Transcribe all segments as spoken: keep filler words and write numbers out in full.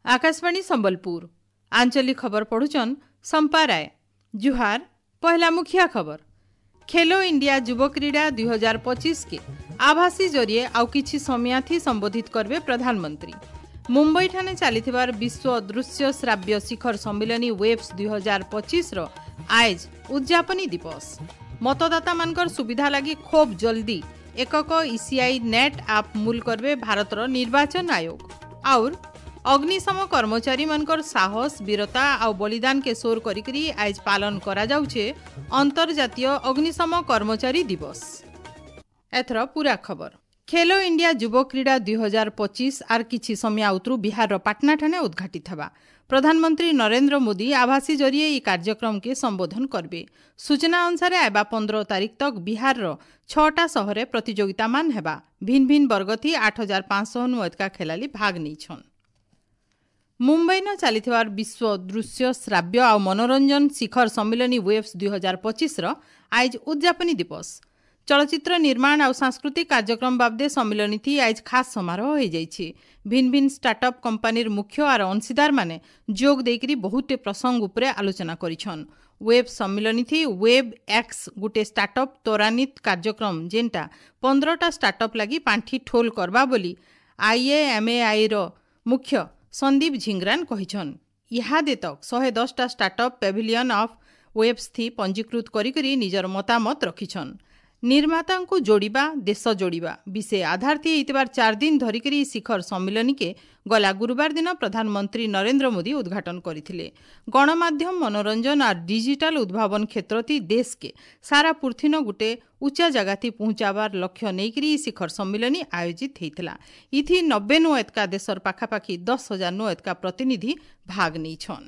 ଆକାଶବାଣୀ ସମ୍ବଲପୁର ଆଞ୍ଚଳିକ ଖବର ପଢୁଛନ୍ ସମ୍ପା ରାୟ ଜୁହାର ପହଲା ମୁଖିଆ ଖବର ଖେଲୋ ଇଣ୍ଡିଆ ଯୁବ କ୍ରୀଡ଼ା ଦୁଇ ହଜାର ପଚିଶ କେ ଆଭାସୀ ଜରିଏ ଆଉ କିଛି ସମୟାଥି ସମ୍ବୋଧିତ କରିବେ ପ୍ରଧାନମନ୍ତ୍ରୀ ମୁମ୍ବାଇଠାରେ ଚାଲିଥିବାର ବିଶ୍ୱ ଦୃଶ୍ୟ ଶ୍ରାବ୍ୟ ଶିଖର ସମ୍ମିଳନୀ ୱେବ୍ସ ଦୁଇ ହଜାର ପଚିଶର ଆଏଜ ଉଦ୍ଯାପନୀ ଦିବସ ମତଦାତାମାନଙ୍କର ସୁବିଧା ଲାଗି ଖୁବ୍ ଜଲ୍ଦି ଏକକ ଇସିଆଇ ନେଟ୍ ଆପ୍ ମୂଲ କରିବେ ଭାରତର ନିର୍ବାଚନ ଆୟୋଗ ଆଉର୍ ଅଗ୍ନିଶମ କର୍ମଚାରୀମାନଙ୍କର ସାହସ ବୀରତା ଆଉ ବଳିଦାନକେ ସୋର କରିକରି ଆଏଜ ପାଳନ କରାଯାଉଛେ ଅନ୍ତର୍ଜାତୀୟ ଅଗ୍ନିଶମ କର୍ମଚାରୀ ଦିବସ ଏଥର ପୁରା ଖବର ଖେଲୋ ଇଣ୍ଡିଆ ଯୁବ କ୍ରୀଡ଼ା ଦୁଇ ହଜାର ପଚିଶ ଆର୍ କିଛି ସମୟ ଆଉତରୁ ବିହାରର ପାଟନାଠାନେ ଉଦ୍ଘାଟିତ ହେବା ପ୍ରଧାନମନ୍ତ୍ରୀ ନରେନ୍ଦ୍ର ମୋଦି ଆଭାସୀ ଜରିଏ ଏହି କାର୍ଯ୍ୟକ୍ରମକେ ସମ୍ବୋଧନ କରିବେ ସୂଚନା ଅନୁସାରେ ଆଇବା ପନ୍ଦର ତାରିଖ ତକ ବିହାରର ଛଅଟା ସହରେ ପ୍ରତିଯୋଗିତାମାନ ହେବା ଭିନ୍ ଭିନ୍ ବର୍ଗଥି ଆଠ ହଜାର ପାଞ୍ଚଶହ ନୁ ଅଧିକା ଖେଳାଳି ଭାଗ ନେଇଛନ୍ ମୁମ୍ବାଇନ ଚାଲିଥିବାର ବିଶ୍ୱ ଦୃଶ୍ୟ ଶ୍ରାବ୍ୟ ଆଉ ମନୋରଞ୍ଜନ ଶିଖର ସମ୍ମିଳନୀ ୱେବ୍ସ ଦୁଇ ହଜାର ପଚିଶର ଆଇଜ ଉଦ୍ଯାପନୀ ଦିବସ ଚଳଚ୍ଚିତ୍ର ନିର୍ମାଣ ଆଉ ସାଂସ୍କୃତିକ କାର୍ଯ୍ୟକ୍ରମ ବାବଦେ ସମ୍ମିଳନୀଥି ଆଇଜ ଖାସ୍ ସମାରୋହ ହୋଇଯାଇଛି ଭିନ୍ ଭିନ୍ ଷ୍ଟାର୍ଟଅପ୍ କମ୍ପାନୀର ମୁଖ୍ୟ ଆର ଅଂଶୀଦାରମାନେ ଯୋଗ ଦେଇକରି ବହୁତଟେ ପ୍ରସଙ୍ଗ ଉପରେ ଆଲୋଚନା କରିଛନ୍ ୱେବ୍ ସମ୍ମିଳନୀଥି ୱେବ୍ ଏକ୍ସ ଗୁଟେ ଷ୍ଟାର୍ଟଅପ୍ ତ୍ୱରାନ୍ୱିତ କାର୍ଯ୍ୟକ୍ରମ ଯେନ୍ଟା ପନ୍ଦରଟା ଷ୍ଟାର୍ଟଅପ୍ ଲାଗି ପାଣ୍ଠି ଠୋଲ କରବା ବୋଲି ଆଇଏଏମ୍ଏଆଇର ମୁଖ୍ୟ ସନ୍ଦୀପ ଝିଙ୍ଗରାନ କହିଛନ୍ ଇହାଦେ ତକ୍ ଶହେ ଦଶଟା ଷ୍ଟାର୍ଟଅପ୍ ପ୍ୟାଭିଲିୟନ୍ ଅଫ୍ ୱେବ୍ସ ଥି ପଞ୍ଜୀକୃତ କରିକରି ନିଜର ମତାମତ ରଖିଛନ୍ ନିର୍ମାତାଙ୍କୁ ଯୋଡ଼ିବା ଦେଶ ଯୋଡ଼ିବା ବିଷୟ ଆଧାର ଥି ହେଇଥିବାର ଚାରି ଦିନ ଧରିକରି ଶିଖର ସମ୍ମିଳନୀକେ ଗଲା ଗୁରୁବାର ଦିନ ପ୍ରଧାନମନ୍ତ୍ରୀ ନରେନ୍ଦ୍ର ମୋଦି ଉଦ୍ଘାଟନ କରିଥିଲେ ଗଣମାଧ୍ୟମ ମନୋରଞ୍ଜନ ଆର୍ ଡିଜିଟାଲ ଉଦ୍ଭାବନ କ୍ଷେତ୍ରଥି ଦେଶକେ ସାରା ପୃଥିନ ଗୁଟେ ଉଚ୍ଚା ଜାଗାଥି ପହଞ୍ଚାବାର ଲକ୍ଷ୍ୟ ନେଇକରି ଶିଖର ସମ୍ମିଳନୀ ଆୟୋଜିତ ହେଇଥିଲା ଇଥି ନବେ ନୁ ଏତକା ଦେଶର ପାଖାପାଖି ଦଶ ହଜାର ନୁ ଏତକା ପ୍ରତିନିଧି ଭାଗ ନେଇଛନ୍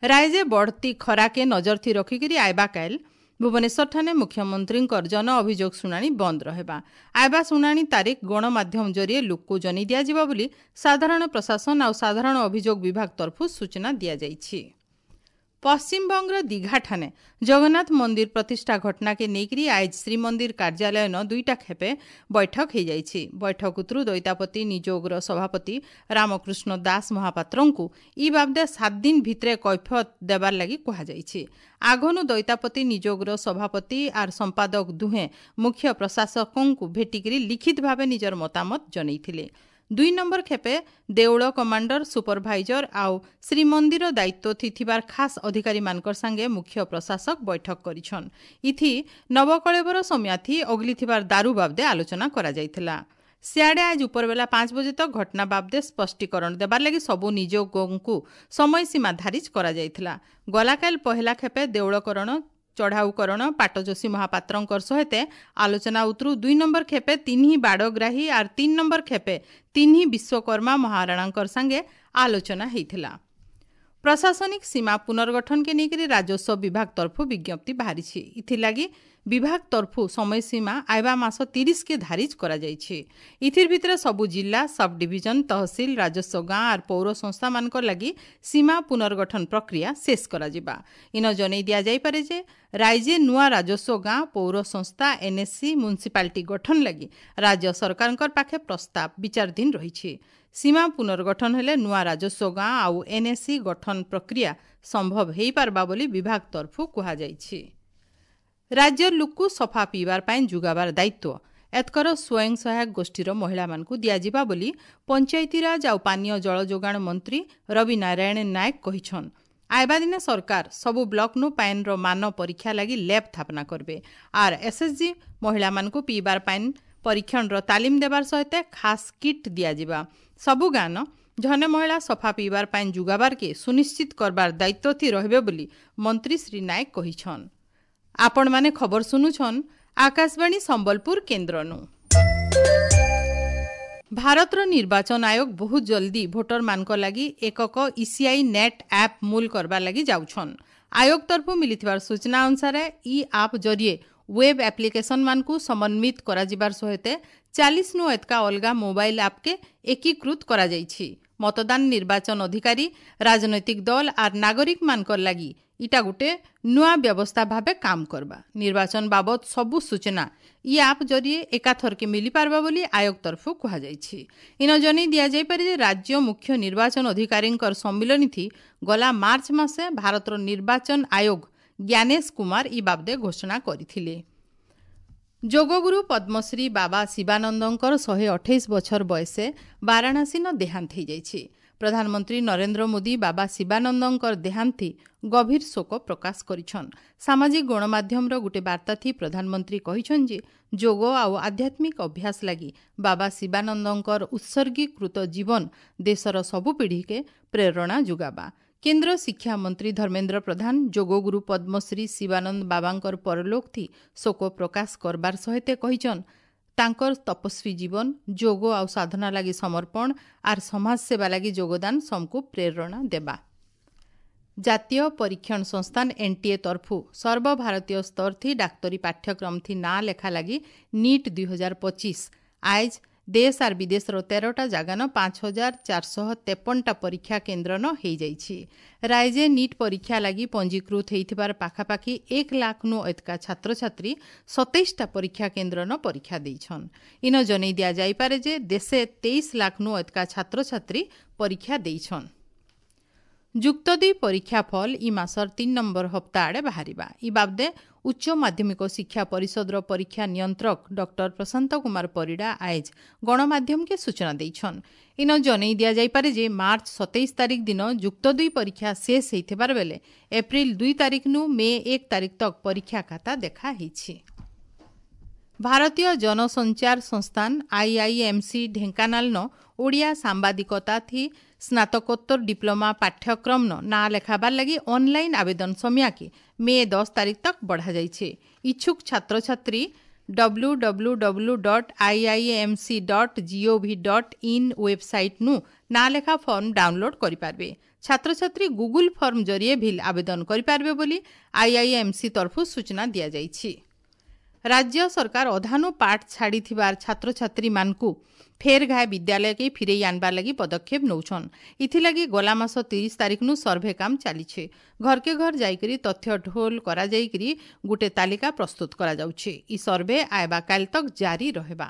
ରାଇଜେ ବଢ଼ତି ଖରାକେ ନଜରଥି ରଖିକରି ଆଇବା କାଏଲ ଭୁବନେଶ୍ୱରଠାନେ ମୁଖ୍ୟମନ୍ତ୍ରୀଙ୍କର ଜନ ଅଭିଯୋଗ ଶୁଣାଣି ବନ୍ଦ ରହିବା ଆଇବା ଶୁଣାଣି ତାରିଖ ଗଣମାଧ୍ୟମ ଜରିଏ ଲୋକକୁ ଜଣାଇ ଦିଆଯିବ ବୋଲି ସାଧାରଣ ପ୍ରଶାସନ ଆଉ ସାଧାରଣ ଅଭିଯୋଗ ବିଭାଗ ତରଫରୁ ସୂଚନା ଦିଆଯାଇଛି ପଶ୍ଚିମବଙ୍ଗର ଦୀଘାଠାନେ ଜଗନ୍ନାଥ ମନ୍ଦିର ପ୍ରତିଷ୍ଠା ଘଟଣାକେ ନେଇକରି ଆଇଜ ଶ୍ରୀମନ୍ଦିର କାର୍ଯ୍ୟାଳୟନ ଦୁଇଟା ଖେପେ ବୈଠକ ହୋଇଯାଇଛି ବୈଠକ ଉତରୁ ଦୈତାପତି ନିଯୋଗର ସଭାପତି ରାମକୃଷ୍ଣ ଦାସ ମହାପାତ୍ରଙ୍କୁ ଇ ବାବଦେ ସାତ ଦିନ ଭିତରେ କୈଫିୟତ ଦେବାର ଲାଗି କୁହାଯାଇଛି ଆଗନୁ ଦୈତାପତି ନିଯୋଗର ସଭାପତି ଆର୍ ସମ୍ପାଦକ ଦୁହେଁ ମୁଖ୍ୟ ପ୍ରଶାସକଙ୍କୁ ଭେଟିକରି ଲିଖିତ ଭାବେ ନିଜର ମତାମତ ଜଣାଇଥିଲେ ଦୁଇ ନମ୍ବର ଖେପେ ଦେଉଳ କମାଣ୍ଡର ସୁପରଭାଇଜର ଆଉ ଶ୍ରୀମନ୍ଦିର ଦାୟିତ୍ୱ ଥିବାର ଖାସ୍ ଅଧିକାରୀମାନଙ୍କର ସାଙ୍ଗେ ମୁଖ୍ୟ ପ୍ରଶାସକ ବୈଠକ କରିଛନ୍ ଇଥି ନବକଳେବର ସମୟାଥି ଅଗଲିଥିବାର ଦାରୁ ବାବଦେ ଆଲୋଚନା କରାଯାଇଥିଲା ସିଆଡ଼େ ଆଜ ଉପରବେଲା ପାଞ୍ଚ ବଜେ ତକ ଘଟଣା ବାବଦେ ସ୍ପଷ୍ଟୀକରଣ ଦେବାର ଲାଗି ସବୁ ନିଯୋଗଙ୍କୁ ସମୟସୀମା ଧାରିଜ କରାଯାଇଥିଲା ଗଲାକାଲ ପହିଲା ଖେପେ ଦେଉଳକରଣ ଚଢ଼ାଉକରଣ ପାଟଯୋଶୀ ମହାପାତ୍ରଙ୍କର ସହିତ ଆଲୋଚନା ଉତରୁ ଦୁଇ ନମ୍ବର ଖେପେ ତିନି ବାଡ଼ଗ୍ରାହୀ ଆର୍ ତିନି ନମ୍ବର ଖେପେ ତିନି ବିଶ୍ୱକର୍ମା ମହାରାଣାଙ୍କର ସାଙ୍ଗେ ଆଲୋଚନା ହେଇଥିଲା ପ୍ରଶାସନିକ ସୀମା ପୁନର୍ଗଠନକେ ନେଇକରି ରାଜସ୍ୱ ବିଭାଗ ତରଫରୁ ବିଜ୍ଞପ୍ତି ବାହାରିଛି ଇଥିଲାଗି ବିଭାଗ ତରଫରୁ ସମୟସୀମା ଆଇବା ମାସ ତିରିଶକେ ଧାରିଜ କରାଯାଇଛି ଇଥିର ଭିତରେ ସବୁ ଜିଲ୍ଲା ସବ୍ ଡିଭିଜନ ତହସିଲ ରାଜସ୍ୱ ଗାଁ ଆର୍ ପୌର ସଂସ୍ଥାମାନଙ୍କର ଲାଗି ସୀମା ପୁନର୍ଗଠନ ପ୍ରକ୍ରିୟା ଶେଷ କରାଯିବା ଇନ ଜଣାଇ ଦିଆଯାଇପାରେ ଯେ ରାଇଜେ ନୂଆ ରାଜସ୍ୱ ଗାଁ ପୌର ସଂସ୍ଥା ଏନ୍ଏସି ମ୍ୟୁନିସିପାଲିଟି ଗଠନ ଲାଗି ରାଜ୍ୟ ସରକାରଙ୍କର ପାଖେ ପ୍ରସ୍ତାବ ବିଚାରାଧୀନ ରହିଛି ସୀମା ପୁନର୍ଗଠନ ହେଲେ ନୂଆ ରାଜସ୍ୱ ଗାଁ ଆଉ ଏନ୍ଏସି ଗଠନ ପ୍ରକ୍ରିୟା ସମ୍ଭବ ହୋଇପାରବା ବୋଲି ବିଭାଗ ତରଫରୁ କୁହାଯାଇଛି ରାଜ୍ୟର ଲୋକକୁ ସଫା ପିଇବାର ପାଇଁ ଯୋଗାବାର ଦାୟିତ୍ୱ ଏତକର ସ୍ୱୟଂ ସହାୟକ ଗୋଷ୍ଠୀର ମହିଳାମାନଙ୍କୁ ଦିଆଯିବା ବୋଲି ପଞ୍ଚାୟତିରାଜ ଆଉ ପାନୀୟ ଜଳ ଯୋଗାଣ ମନ୍ତ୍ରୀ ରବି ନାରାୟଣ ନାୟକ କହିଛନ୍ ଆଇବା ଦିନେ ସରକାର ସବୁ ବ୍ଲକନୁ ପାଏନ୍ର ମାନ ପରୀକ୍ଷା ଲାଗି ଲ୍ୟାବ୍ ସ୍ଥାପନା କରିବେ ଆର୍ ଏସ୍ଏସ୍ଜି ମହିଳାମାନଙ୍କୁ ପିଇବାର ପାଏନ୍ ପରୀକ୍ଷଣର ତାଲିମ ଦେବାର ସହିତ ଖାସ୍ କିଟ୍ ଦିଆଯିବା ସବୁ ଗାଁନ ଝନେ ମହିଳା ସଫା ପିଇବାର ପାଏନ୍ ଯୋଗାବାରକେ ସୁନିଶ୍ଚିତ କରବାର ଦାୟିତ୍ୱ ଥି ରହିବେ ବୋଲି ମନ୍ତ୍ରୀ ଶ୍ରୀ ନାୟକ କହିଛନ୍ ଆପଣମାନେ ଖବର ଶୁଣୁଛନ୍ ଆକାଶବାଣୀ ସମ୍ବଲପୁର କେନ୍ଦ୍ରନୁ ଭାରତର ନିର୍ବାଚନ ଆୟୋଗ ବହୁତ ଜଲ୍ଦି ଭୋଟରମାନଙ୍କ ଲାଗି ଏକକ ଇସିଆଇ ନେଟ୍ ଆପ୍ ମୂଲ କରବାର ଲାଗି ଯାଉଛନ୍ ଆୟୋଗ ତରଫରୁ ମିଳିଥିବାର ସୂଚନା ଅନୁସାରେ ଇ ଆପ୍ ଜରିଏ ୱେବ୍ ଆପ୍ଲିକେସନମାନଙ୍କୁ ସମନ୍ୱିତ କରାଯିବାର ସହିତ ଚାଳିଶ ନୁ ଏତକା ଅଲଗା ମୋବାଇଲ ଆପ୍କେ ଏକୀକୃତ କରାଯାଇଛି ମତଦାନ ନିର୍ବାଚନ ଅଧିକାରୀ, ରାଜନୈତିକ ଦଲ ଆର୍ ନାଗରିକମାନଙ୍କର ଲାଗି ଇଟା ଗୁଟେ ନୂଆ ବ୍ୟବସ୍ଥା ଭାବେ କାମ କରବା। ନିର୍ବାଚନ ବାବଦ ସବୁ ସୂଚନା ଇ ଆପ୍ ଜରିଏ ଏକାଥରକେ ମିଳିପାରବା ବୋଲି ଆୟୋଗ ତରଫରୁ କୁହାଯାଇଛି। ଇନ ଜନେଇ ଦିଆଯାଇପାରେ ଯେ ରାଜ୍ୟ ମୁଖ୍ୟ ନିର୍ବାଚନ ଅଧିକାରୀଙ୍କର ସମ୍ମିଳନୀ ଥି ଗଲା ମାର୍ଚ୍ଚ ମାସେ ଭାରତର ନିର୍ବାଚନ ଆୟୋଗ ଜ୍ଞାନେଶ କୁମାର ଇ ବାବଦେ ଘୋଷଣା କରିଥିଲେ। ଯୋଗଗୁରୁ ପଦ୍ମଶ୍ରୀ ବାବା ଶିବାନନ୍ଦଙ୍କର ଶହେ ଅଠେଇଶ ବଛର ବୟସେ ବାରାଣାସୀନ ଦେହାନ୍ତ ହୋଇଯାଇଛି। ପ୍ରଧାନମନ୍ତ୍ରୀ ନରେନ୍ଦ୍ର ମୋଦି ବାବା ଶିବାନନ୍ଦଙ୍କର ଦେହାନ୍ତି ଗଭୀର ଶୋକ ପ୍ରକାଶ କରିଛନ୍। ସାମାଜିକ ଗଣମାଧ୍ୟମର ଗୋଟେ ବାର୍ତ୍ତା ଥି ପ୍ରଧାନମନ୍ତ୍ରୀ କହିଛନ୍ ଯେ ଯୋଗ ଆଉ ଆଧ୍ୟାତ୍ମିକ ଅଭ୍ୟାସ ଲାଗି ବାବା ଶିବାନନ୍ଦଙ୍କର ଉତ୍ସର୍ଗୀକୃତ ଜୀବନ ଦେଶର ସବୁ ପିଢ଼ିକେ ପ୍ରେରଣା ଯୋଗାବା। କେନ୍ଦ୍ର ଶିକ୍ଷା ମନ୍ତ୍ରୀ ଧର୍ମେନ୍ଦ୍ର ପ୍ରଧାନ ଯୋଗଗୁରୁ ପଦ୍ମଶ୍ରୀ ଶିବାନନ୍ଦ ବାବାଙ୍କର ପରଲୋକ ଥି ଶୋକ ପ୍ରକାଶ କରବାର ସହିତ କହିଛନ୍ ତାଙ୍କର ତପସ୍ୱୀ ଜୀବନ, ଯୋଗ ଆଉ ସାଧନା ଲାଗି ସମର୍ପଣ ଆର୍ ସମାଜସେବା ଲାଗି ଯୋଗଦାନ ସମକୁ ପ୍ରେରଣା ଦେବା। ଜାତୀୟ ପରୀକ୍ଷଣ ସଂସ୍ଥାନ ଏନ୍ଟିଏ ତରଫୁ ସର୍ବଭାରତୀୟ ସ୍ତର ଥି ଡାକ୍ତରୀ ପାଠ୍ୟକ୍ରମ ଥି ନାଁ ଲେଖା ଲାଗି ନିଟ୍ ଦୁଇ ହଜାର ପଚିଶ ଆଏଜ୍ ଦେଶ ଆର୍ ବିଦେଶର ତେରଟା ଜାଗାନ ପାଞ୍ଚ ହଜାର ଚାରିଶହ ତେପନଟା ପରୀକ୍ଷା କେନ୍ଦ୍ରନ ହେଇଯାଇଛି। ରାଇଜେ ନିଟ୍ ପରୀକ୍ଷା ଲାଗି ପଞ୍ଜୀକୃତ ହେଇଥିବାର ପାଖାପାଖି ଏକ ଲାଖନୁ ଏତକା ଛାତ୍ରଛାତ୍ରୀ ସତେଇଶଟା ପରୀକ୍ଷା କେନ୍ଦ୍ରନ ପରୀକ୍ଷା ଦେଇଛନ୍। ଇନ ଜନେଇ ଦିଆଯାଇପାରେ ଯେ ଦେଶେ ତେଇଶ ଲାଖନୁ ଏତକା ଛାତ୍ରଛାତ୍ରୀ ପରୀକ୍ଷା ଦେଇଛନ୍। ଯୁକ୍ତ ଦୁଇ ପରୀକ୍ଷା ଫଲ ଇ ମାସର ତିନି ନମ୍ବର ହପ୍ତା ଆଡ଼େ ବାହାରିବା। ଇ ବାବଦେ ଉଚ୍ଚ ମାଧ୍ୟମିକ ଶିକ୍ଷା ପରିଷଦର ପରୀକ୍ଷା ନିୟନ୍ତ୍ରକ ଡକ୍ଟର ପ୍ରଶାନ୍ତ କୁମାର ପରିଡ଼ା ଆଏଜ୍ ଗଣମାଧ୍ୟମକେ ସୂଚନା ଦେଇଛନ୍। ଇନ ଜନେଇ ଦିଆଯାଇପାରେ ଯେ ମାର୍ଚ୍ଚ ସତେଇଶ ତାରିଖ ଦିନ ଯୁକ୍ତ ଦୁଇ ପରୀକ୍ଷା ଶେଷ ହେଇଥିବାର ବେଲେ ଏପ୍ରିଲ ଦୁଇ ତାରିଖନୁ ମେ ଏକ ତାରିଖ ତକ୍ ପରୀକ୍ଷା ଖାତା ଦେଖା ହେଇଛି। ଭାରତୀୟ ଜନସଞ୍ଚାର ସଂସ୍ଥାନ ଆଇଆଇଏମ୍ସି ଢେଙ୍କାନାଳନ ଓଡ଼ିଆ ସାମ୍ବାଦିକତା ଥି ସ୍ନାତକୋତ୍ତର ଡିପ୍ଲୋମା ପାଠ୍ୟକ୍ରମନ ନାଁ ଲେଖାବାର ଲାଗି ଅନଲାଇନ୍ ଆବେଦନ ସମୟାକେ ମେ ଦଶ ତାରିଖ ତକ୍ ବଢ଼ାଯାଇଛି। ଇଚ୍ଛୁକ ଛାତ୍ରଛାତ୍ରୀ W W W dot I I M C dot G O V dot in ୱେବସାଇଟ୍ନୁ ନାଁ ଲେଖା ଫର୍ମ ଡାଉନଲୋଡ୍ କରିପାରିବେ। ଛାତ୍ରଛାତ୍ରୀ ଗୁଗୁଲ ଫର୍ମ ଜରିଏ ଭିଲ୍ ଆବେଦନ କରିପାରିବେ ବୋଲି ଆଇଆଇଏମ୍ସି ତରଫରୁ ସୂଚନା ଦିଆଯାଇଛି। ରାଜ୍ୟ ସରକାର ଅଧାନୁ ପାଠ ଛାଡ଼ିଥିବାର ଛାତ୍ରଛାତ୍ରୀମାନଙ୍କୁ ଫେର୍ ଘାଏ ବିଦ୍ୟାଳୟକେ ଫିରେଇ ଆନବାର ଲାଗି ପଦକ୍ଷେପ ନଉଛନ୍। ଇଥିଲାଗି ଗଲା ମାସ ତିରିଶ ତାରିଖନୁ ସର୍ଭେ କାମ ଚାଲିଛେ। ଘରକେ ଘର ଯାଇକରି ତଥ୍ୟ ଠୋଲ କରାଯାଇକରି ଗୁଟେ ତାଲିକା ପ୍ରସ୍ତୁତ କରାଯାଉଛି। ଇ ସର୍ଭେ ଆଇବା କାଲ ତକ୍ ଜାରି ରହିବା।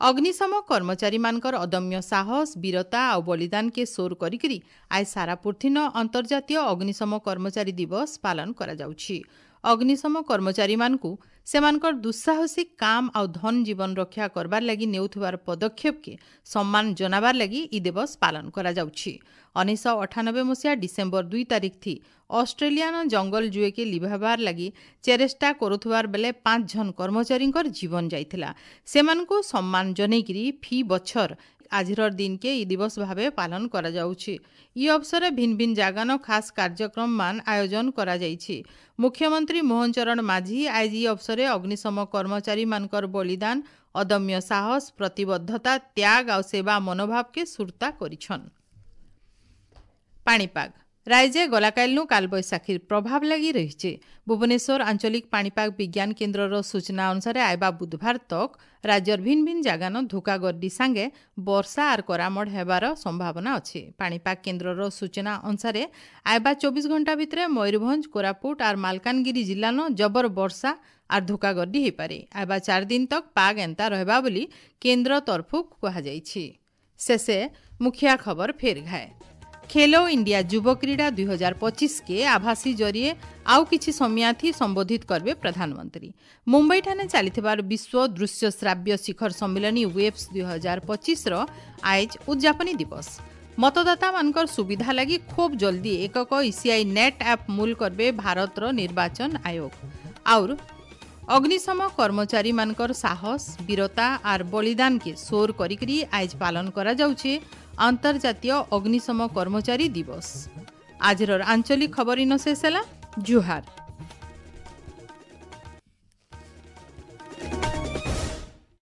ଅଗ୍ନିଶମ କର୍ମଚାରୀମାନଙ୍କର ଅଦମ୍ୟ ସାହସ, ବୀରତା ଆଉ ବଳିଦାନକେ ସୋର କରିକିରି ଆজ ସାରା ପୃଥିନ ଅନ୍ତର୍ଜାତୀୟ ଅଗ୍ନିଶମ କର୍ମଚାରୀ ଦିବସ ପାଳନ କରାଯାଉଛି। ଅଗ୍ନିଶମ କର୍ମଚାରୀମାନଙ୍କୁ ସେମାନଙ୍କର ଦୁଃସାହସିକ କାମ ଆଉ ଧନ ଜୀବନ ରକ୍ଷା କରବାର ଲାଗି ନେଉଥିବାର ପଦକ୍ଷେପକେ ସମ୍ମାନ ଜଣାବାର ଲାଗି ଇ ଦିବସ ପାଳନ କରାଯାଉଛି। ଉଣେଇଶହ ଅଠାନବେ ମସିହା ଡିସେମ୍ବର ଦୁଇ ତାରିଖ ଥି ଅଷ୍ଟ୍ରେଲିଆନ ଜଙ୍ଗଲ ଜୁଏକେ ଲିଭାବାର ଲାଗି ଚେରେଷ୍ଟା କରୁଥିବାର ବେଲେ ପାଞ୍ଚ ଜଣ କର୍ମଚାରୀଙ୍କର ଜୀବନ ଯାଇଥିଲା। ସେମାନଙ୍କୁ ସମ୍ମାନ ଜନେଇକିରି ଫି ବଛର ଆଜିର ଦିନକେ ଇ ଦିବସ ଭାବେ ପାଳନ କରାଯାଉଛି। ଇ ଅବସରେ ଭିନ୍ନ ଭିନ୍ନ ଜାଗାନ ଖାସ୍ କାର୍ଯ୍ୟକ୍ରମ ମାନ ଆୟୋଜନ କରାଯାଇଛି। ମୁଖ୍ୟମନ୍ତ୍ରୀ ମୋହନ ଚରଣ ମାଝୀ ଆଜି ଇ ଅବସରେ ଅଗ୍ନିଶମ କର୍ମଚାରୀମାନଙ୍କର ବଳିଦାନ, ଅଦମ୍ୟ ସାହସ, ପ୍ରତିବଦ୍ଧତା, ତ୍ୟାଗ ଆଉ ସେବା ମନୋଭାବକେ ସୁରତା କରିଛନ୍। ପାଣିପାଗ ରାଇଜେ ଗଲାକାଲିନୁ କାଲବୈଶାଖୀର ପ୍ରଭାବ ଲାଗି ରହିছে। ଭୁବନେଶ୍ୱର ଆଞ୍ଚଳିକ ପାଣିପାଗ ବିଜ୍ଞାନ କେନ୍ଦ୍ରର ସୂଚନା ଅନୁସାରେ ଆଇବା ବୁଧବାର ତକ୍ ରାଜ୍ୟର ଭିନ୍ନ ଭିନ୍ନ ଜାଗାନ ଧୋକା ଗର୍ଡି ସାଙ୍ଗେ ବର୍ଷା ଆର୍ କରାମଡ଼ ହେବାର ସମ୍ଭାବନା ଅଛି। ପାଣିପାଗ କେନ୍ଦ୍ରର ସୂଚନା ଅନୁସାରେ ଆଇବା ଚବିଶ ଘଣ୍ଟା ଭିତରେ ମୟୂରଭଞ୍ଜ, କୋରାପୁଟ ଆର୍ ମାଲକାନଗିରି ଜିଲ୍ଲାନ ଜବର ବର୍ଷା ଆର୍ ଧୋକା ଗର୍ଡି ହେଇପାରେ। ଆଇବା ଚାରି ଦିନ ତକ୍ ପାଗ ଏନ୍ତା ରହିବା ବୋଲି କେନ୍ଦ୍ର ତରଫରୁ କୁହାଯାଇଛି। ଶେଷେ ମୁଖିଆ ଖବର ଫେର ଘାଏ। ଖେଲୋ ଇଣ୍ଡିଆ ଯୁବ କ୍ରୀଡ଼ା ଦୁଇ ହଜାର ପଚିଶ କେ ଆଭାସୀ ଜରିଏ ଆଉ କିଛି ସମୟାଥି ସମ୍ବୋଧିତ କରିବେ ପ୍ରଧାନମନ୍ତ୍ରୀ। ମୁମ୍ବାଇଠାରେ ଚାଲିଥିବାର ବିଶ୍ୱ ଦୃଶ୍ୟ ଶ୍ରାବ୍ୟ ଶିଖର ସମ୍ମିଳନୀ ୱେବ୍ସ ଦୁଇ ହଜାର ପଚିଶର ଆଏଜ୍ ଉଦ୍ଯାପନୀ ଦିବସ। ମତଦାତାମାନଙ୍କର ସୁବିଧା ଲାଗି ଖୁବ୍ ଜଲ୍ଦି ଏକକ ଇସିଆଇ ନେଟ୍ ଆପ୍ ମୂଲ କରିବେ ଭାରତର ନିର୍ବାଚନ ଆୟୋଗ। ଆଉର ଅଗ୍ନିଶମ କର୍ମଚାରୀମାନଙ୍କର ସାହସ, ବୀରତା ଆର୍ ବଳିଦାନକେ ସୋର କରିକିରି ଆଏଜ୍ ପାଳନ କରାଯାଉଛି ଅନ୍ତର୍ଜାତୀୟ ଅଗ୍ନିଶମ କର୍ମଚାରୀ ଦିବସ। ଆଜିର ଆଞ୍ଚଳିକ ଖବର ଇନ ଶେଷ ହେଲା। ଜୁହାର।